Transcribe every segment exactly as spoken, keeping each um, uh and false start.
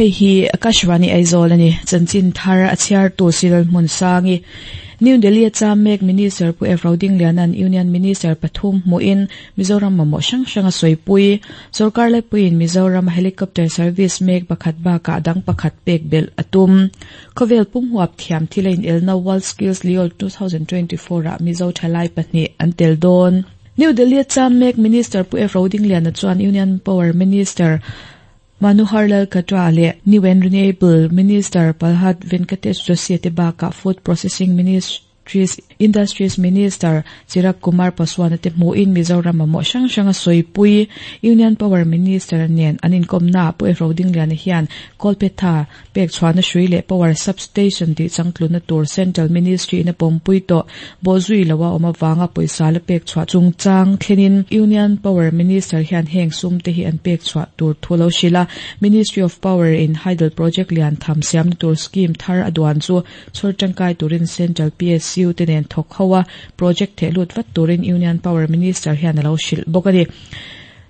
Hei hi Akashvani Aizawl ani chanchin thar a chhiar tu Siral Hmun Sangi New Delhi a mek Minister Pu F Rodinglianan Union Minister pathum hmuin Mizoram mamawh hrang hrang a sawipui Sorkar laipuiin Mizoram helicopter service mek pakhat bakah dang pakhat pek belh a tum Khawvel pum huap thiam thil a in elna World Skills Liol twenty twenty-four ah Mizo thalai pahnih an tel dawn. New Delhi a mek Minister Pu F Rodingliana chuan Union Power Minister Manohar Lal Khattar leh New and Renewable Minister Pralhad Venkatesh Joshi te bakah Food Processing Ministries Industries Minister Chirag Kumar Paswan te hmuin Mizoram mamawh hrang hrang a sawipui. Union Power Minister nen an inkawmna Pu F Rodingliana hian Kawlphetha pek chhuahna hrui leh Power Substation tih changtluna tur Central Ministry in a pawmpui tawh bawhzui loa awm awanga pawisa la pek chhuah chungchang thlenin Union Power Minister hian heng sum te hi an pek chhuah tur thu lo hrila. Ministry of Power in Hydel Project lian tham siamna tur scheme thar a duan chu chhawr tangkai turin Central P S U te nen thawk ho a project thehlut vat turin Union Power Minister hian a lo hrilh bawk a ni.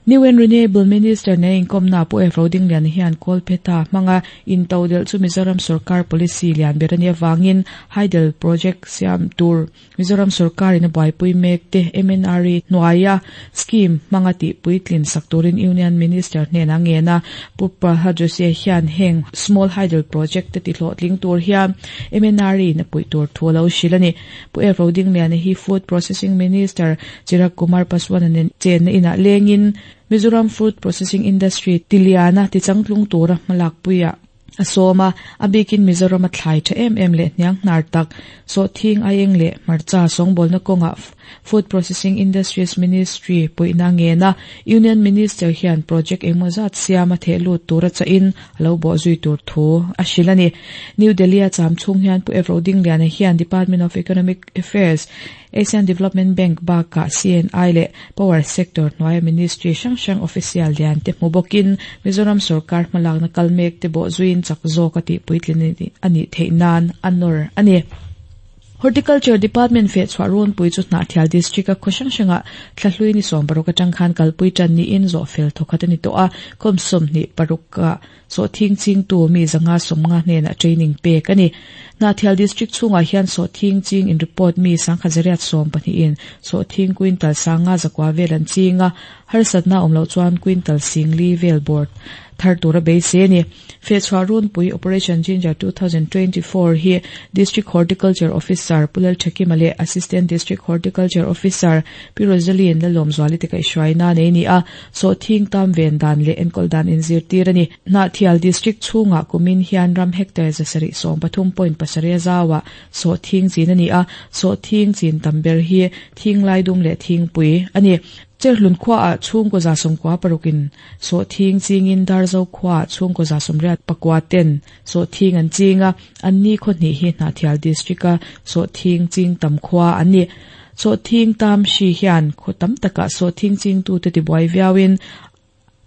New and Renewable Minister ne inkawmna Pu F Rodingliana hian Kawlphetha hmanga intodelh chu Mizoram Sarkar policy lian ber ani awangin Hydel Project siam tur Mizoram Sarkar in a buaipui mek te M N R E hnuaia scheme hmanga tih puitlin sak turin Union Minister hnenah ngena. Pu Pralhad Joshi hian heng Small Hydel Project te ti hlawhtling tur hian M N R E in a puih tur thu a lo hrilh ani. Pu F Rodingliana hi Food Processing Minister Chirag Kumar Paswan nen chenna inah lengin Mizoram Food Processing Industry tiliana tichangtlung tura hmalak puia a sawma a bikin Mizoram a thlai tha em em leh hniang hnar tak sawhthing, aieng leh hmarcha sawngbawlna kawngah Food Processing Industries Ministry puihna ngena. Union Minister hian project engemaw zat siama thehlut tura chahin alo bawhzui tur thu a hrilh ani. New Delhi a cham chhung hian Pu F Rodingliana hian Department of Economic Affairs, Asian Development Bank bakah C N I leh Power Sector hnuaia Ministry hrang hrang official lian te hmu bawkin Mizoram Sarkar hmalakna kal mek te bawhzuiin chak zawk a tih puitlin anih theih nan a nawr ani. Horticulture Department fe chhuah runpui chu Hnahthial District a khaw hrang hranga thlahlui ni sawm paruk atang khan kalpui tan niin zawh fel thawkhat ani tawh a. Khawm sawmhnih paruk ah sawhthing chingtu mi zanga sawmnga hnenah training pek ani. Hnahthial District chhungah hian sawhthing ching in report mi sangkhat zariat sawm pahnih in sawhthing quintal sanga zakua vel an chinga, harsatna awm loh chuan quintal singli vel board thar tura beisei ani. Fe chhuah runpui Operation Ginger twenty twenty-four hi District Horticulture Officer Pulal Thakima leh Assistant District Horticulture Officer Pi Rosaline Lalawmzuali te kaihhruaina nei ni a, sawhthing tam ven dan leh enkawl dan inzirtir ani. Hnahthial District chhungah kumin hian ram hectare zasarih sawm pathum point pasarih a zawa sawhthing chin ani a, sawhthing chin tam ber hi thing laidum leh thingpui ani. Cherhlun khua ah chhungkaw za sawmkua parukin sawhthing chingin Darzo khua ah chhungkaw za sawmriat pakua ten sawhthing an chinga, anni khaw hnih hi Hnahthial District a sawhthing ching tam khua an ni. Sawhthing tam hri hian khaw tam takah sawhthing chingtu te tibuai viauin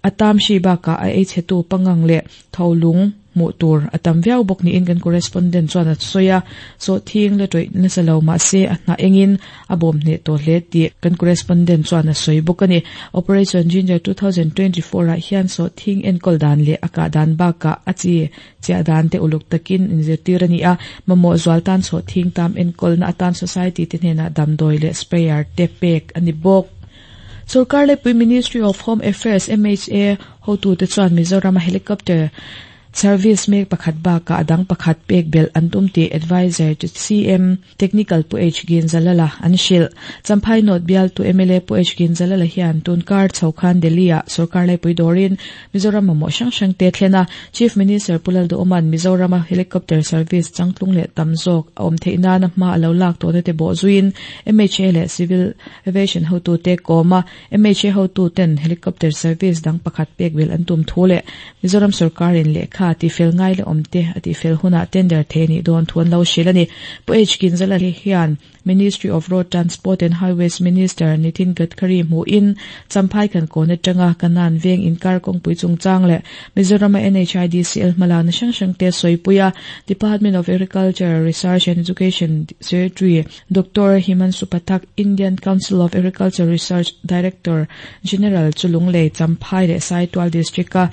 a tam hri bakah a ei chhetu pangang leh tholung hmuh tur a tam viau bawk niin kan correspondent chuan a sawi a. Sawhthing la tawih nasa lo mahse a hnah engin a bawm hneh tawh hle tih kan correspondent chuan a sawi bawk ani. Operation Ginger twenty twenty-four ah hian sawhthing enkawl dan leh a kah dan bakah a chi chiah dan te uluk takin inzirtir ani a, mamawh zual tan sawhthing tam enkawlna atan society te hnenah damdawi leh sprayer te pek ani bawk. Sarkar Laipui Ministry of Home Affairs M H A hotu te chuan Mizoram helicopter service mek pakhat bakah adang pakhat pek belh an tum tih Advisor to C M Technical Pu H Ginzalala an hrilh. Champhai North bialtu M L A Pu H Ginzalala hian tunkar chhokhan Delhi ah Sarkar Laipui dawrin Mizoram mamawh hrang hrang te thlena. Chief Minister Pu Lalduhoma'n Mizoram helicopter service changtlung leh tam zawk a awm theih nana hma alo lak tawhna te bawhzuiin M H A leh Civil Aviation hotu te kawma M H A hotu ten helicopter service dang pakhat pek belh an tum thu leh Mizoram Sarkarin lehkha ti fel ngai le awm te a ti fel hunah tender the ni dawn thu an lo hrilh ani. Pu H Ginzala hian Ministry of Road Transport and Highways Minister Nitin Gadkari hmuin Champhai kan kawn atanga kanan veng inkar kawngpui chungchang leh Mizoram N H I D C L hmalakna hrang hrang te sawipuia. Department of Agriculture Research and Education Secretary Doctor Himanshu Pathak, Indian Council of Agriculture Research Director General Chulunglei, Champhai leh Saitual District a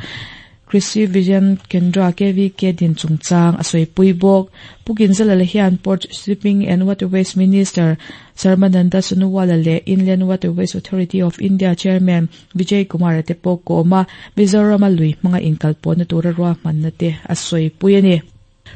Krishi Vigyan Kendra K V K din chungchang a sawipui bawk. Pu Ginzala hian Port Shipping and Waterways Minister Sarbananda Sonowal leh Inland Waterways Authority of India Chairman Vijay Kumar te pawh kawma Mizoram a lui hmanga inkalpawhna tura ruahmanna te a sawipui a ni.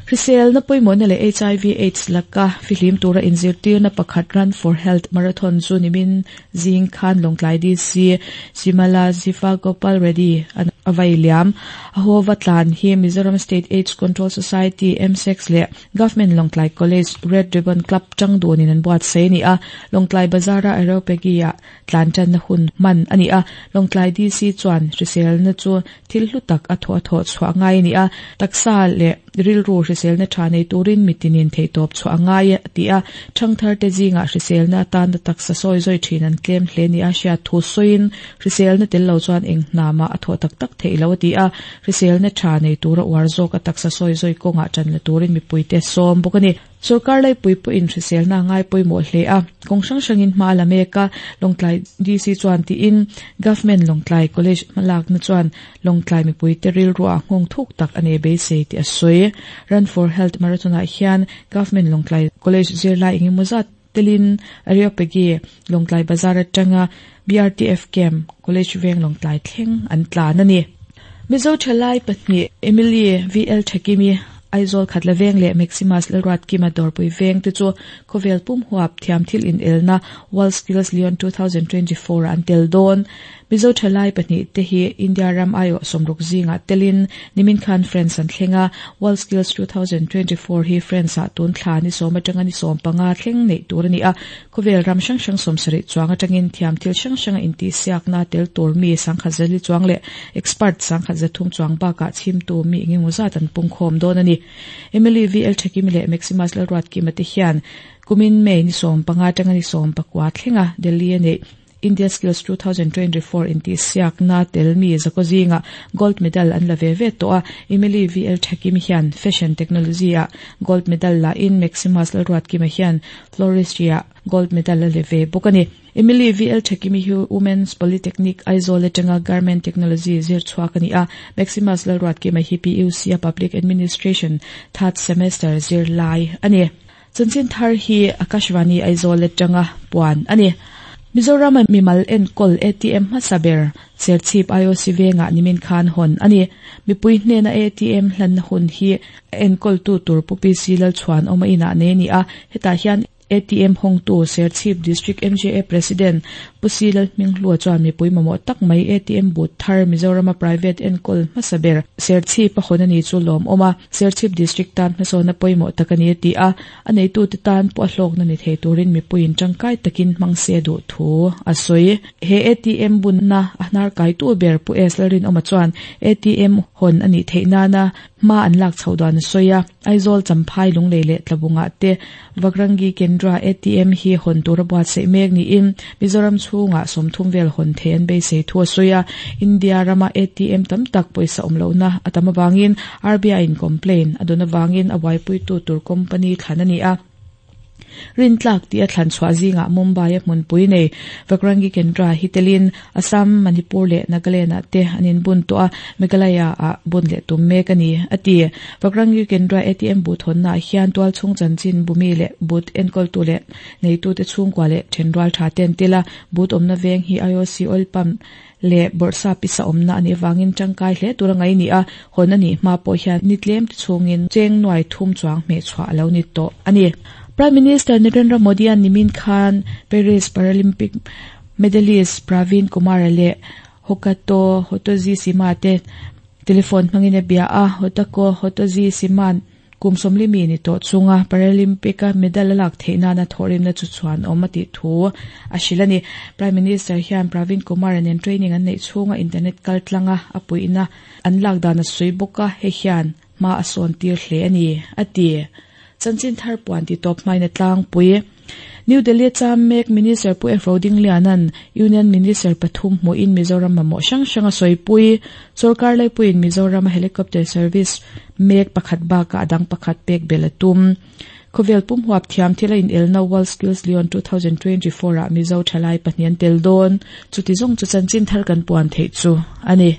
Hrisel na pawimawhna leh H I V AIDS laka fihlim tura inzirtirna pakhat Run for Health Marathon chu nimin zing khan Lawngtlai D C Simala Zifa Gopal Reddy an avai liam. A hova tlan hi Mizoram State AIDS Control Society M six leh Government Lawngtlai College Red Ribbon Club tang dunin an buat sei ni a. Lawngtlai Bazara Areopagia tlan tan na hun man ani a. Lawngtlai D C chuan hrisel na chu thil hlu tak a thaw thaw chhuah ngai ni a. Taksa leh rilru hrisel na tha nei turin mitinin thei tawp chhuah ngai ti a. Thangthar te zinga hrisel na tan na taksa sawi zoi thin an tlem hle ni a hria thu sawiin hrisel na tel lo chuan eng hnama a thaw tak tak thei lo ti a. Hrisel na tha nei tura uar zawk a taksa sawi zoi kawnga tan la turin mipui te sawm bawk ani. Sarkar lai pui pawh in hrisel na ngai pawimawh hle a. Kawng hrang hrangin hma la mek a. Lawngtlai D C chuan tiin Government Lawngtlai College hmalak na chuan Lawngtlai mipui te rilru a nghawng thuk tak ani beisei ti a sawi. Run for Health Marathon ah hian Government Lawngtlai College zirlai engemaw zat telin Areopagi Lawngtlai Bazar atanga B R T F Camp College Veng Lawngtlai thleng an tlan ani. Mizo thalai pahnih Emily V L Thakimi Aizawl Khatla Veng leh Maximus Lalruat Kima Dawrpui Veng te chu khawvel pum huap thiam thil in elna World Skills Lyon twenty twenty-four an tel dawn. Mizo thalai pahnih te hi India ram aio sawmruk zinga telin nimin khan France an thlenga. World Skills twenty twenty-four hi France ah tun thla ni sawm atanga ni sawm panga thleng nei tur ani a. Khawvel ram hrang hrang sawmsarih chuang atangin thiam thil hrang hranga inti siakna tel tur mi sangkhat zali chuang leh expert sangkhat zathum chuang bakah chhimtu mi engemaw zat an pungkhawm dawn ani. Emily V L Thakimi leh Maximus Lalruat Kima te hian kumin May ni sawm panga atanga ni sawm pakua thlenga Delhi ani India Skills twenty twenty-four inti siakna tel mi zakozinga gold medal an la ve ve to a. Emily V L Thakimi hian fashion technology a gold medal la in Maximus Lalruat Kima hian floristry a gold medal la ve bawk ani. Emily V L Thakimi hi Women's Polytechnic Aizawl atanga garment technology zir chhuak ani a. Maximus Lalruat Kima hi P U C a Public Administration third semester zir lai ani. Chanchin thar hi Akashvani Aizawl atanga puan ani. Mizoram mimal enkol A T M hmasaber Serchhip I O C venga nimin khan hon ani. Mipui hnena A T M hlan hun hi enkol tu tur pu P C Lalchhuan awm a inah nei ani a. Hetah hian A T M hawngtu Serchhip District M J A President Pu C Lalhminghlua chuan mipui mamawh tak mai A T M booth thar Mizoram private enkol hmasaber Serchhip a hawn ani chu lawm awm a. Serchhip District tan hmasawna pawimawh tak ani ti a. A neitu te tan pawh a hlawkna ni thei turin mipuiin tangkai takin hmang se duh thu a sawi. He A T M bunna a hnar kai tu ber Pu S Lalrin awm a chuan A T M hawn ani theih nana hma an lak chho dan a sawi a. Aizawl Champhai Lunglei leh Tlabunga te Vagrangi Kendra A T M hi hawn tura buatsaih mek niin Mizoram chhunga sawmthum vel hawn thei an beisei thu a sawi a. India rama A T M tam tak pawisa awm lohna a tam awangin R B I in complain a dawn awangin a buaipuitu tur company thlan ani a. Rintlak ti a thlan chhuah zinga Mumbai a hmunpui nei Vagrangi Kendra hi telin Assam, Manipur leh Nagaland ah te an inbun tawh a. Meghalaya ah bun leh tum mek ani ati. Vagrangi Kendra A T M booth hawnna ah hian tual chhung chanchin bumi leh booth enkawltu leh neitu te chhungkua leh thenrual tha ten tela booth awmna veng hi I O C oil pump leh bawrhsa pisa awmna ani awangin tangkai hle tura ngai ni a. Hawn ani hma pawh hian ni tlem te chhungin cheng nuai thum chuang hmeh chhuah alo ni tawh ani. Prime Minister Narendra Modi an nimin khan Paris Paralympic medalist Praveen Kumar leh Hokato Hotozi Sima te telephone hmangin a bia a. Hotako Hotozi Sima kum sawmli mi ni tawh chunga Paralympic a medal a lak theih nana thawhrimna chu chuan awm a tih thu a hrilh ani. Prime Minister hian Praveen Kumar nen training an neih chhunga internet kal tlanga a puihna an lak dan a sawi bawk a. Hei hian hma a sawn tir hle ani ati. Chanchin thar puan ti tawp hmaina tlangpui. New Delhi cham mek Minister Pu F Rodinglianan Union Minister pathum hmuin Mizoram mamawh hrang hrang a sawipui. Sarkar laipuiin Mizoram helicopter service mek pakhat bakah adang pakhat pek bel a tum. Khawvel pum huap thiam thil a in elna World Skills Lyon twenty twenty-four ah Mizo thalai pahnih an tel dawn. Chuti zawng chu chanchin thar kan puan theih chu ani.